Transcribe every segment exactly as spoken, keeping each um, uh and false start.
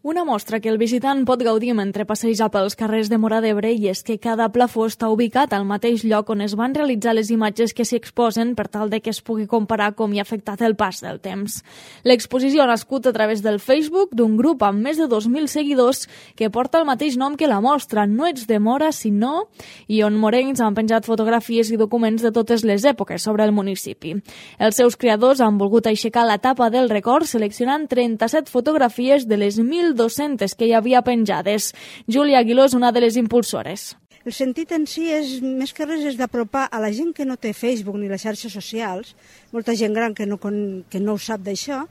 Una mostra que el visitant pot gaudir mentre passeja pels carrers de Móra d'Ebre i és que cada plafó està ubicat al mateix lloc on es van realitzar les imatges que s'hi exposen per tal de que es pugui comparar com hi ha afectat el pas del temps. L'exposició ha nascut a través del Facebook d'un grup amb més de dos mil seguidors que porta el mateix nom que la mostra, No ets de Móra, sinó, i on morencs han penjat fotografies i documents de totes les èpoques sobre el municipi. Els seus creadors han volgut aixecar la tapa del record seleccionant trenta-set fotografies de les mil dos-centes que hi havia penjades. Júlia Aguiló és una de les impulsores. El sentit en si és, més que res, és d'apropar a la gent que no té Facebook ni les xarxes socials, molta gent gran que no, que no ho sap d'això,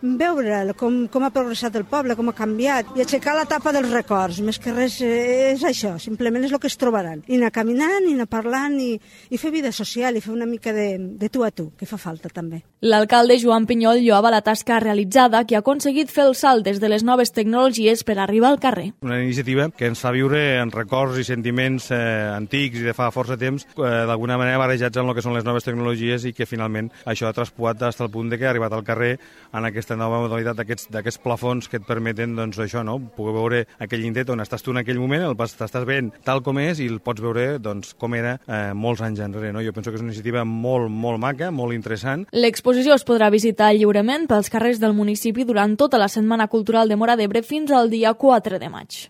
veure com, com ha progressat el poble, com ha canviat, i aixecar la tapa dels records. Més que res és això, simplement és el que es trobaran. I anar caminant, i anar parlant, i, i fer vida social, i fer una mica de, de tu a tu, que fa falta també. L'alcalde Joan Pinyol lloava la tasca realitzada que ha aconseguit fer el salt des de les noves tecnologies per arribar al carrer. Una iniciativa que ens fa viure en records i sentiments eh, antics i de fa força temps, eh, d'alguna manera barrejats en el que són les noves tecnologies i que finalment això ha traspuat fins al punt de que ha arribat al carrer en aquesta nova modalitat d'aquests plafons que et permeten, doncs, això, no? Poder veure aquell indret on estàs tu en aquell moment, el t'estàs veient tal com és i el pots veure, doncs, com era eh, molts anys enrere, no? Jo penso que és una iniciativa molt, molt maca, molt interessant. L'exposició es podrà visitar lliurement pels carrers del municipi durant tota la Setmana Cultural de Móra d'Ebre fins al dia quatre de maig.